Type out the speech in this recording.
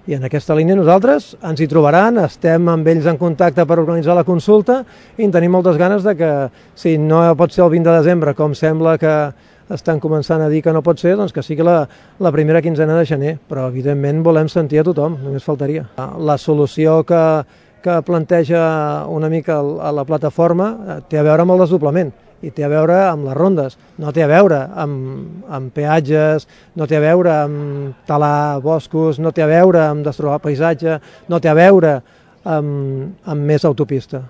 I en aquesta línia nosaltres ens hi trobaran, estem amb ells en contacte per organitzar la consulta i tenim moltes ganes de que, si no pot ser el 20 de desembre, com sembla que estan començant a dir que no pot ser, doncs que sigui la primera quinzena de gener, però evidentment volem sentir a tothom, només faltaria. La solució que planteja una mica a la plataforma té a veure amb el desdoblament i té a veure amb les rondes, no té a veure amb peatges, no té a veure amb talar boscos, no té a veure amb destrobar paisatge, no té a veure amb més autopista.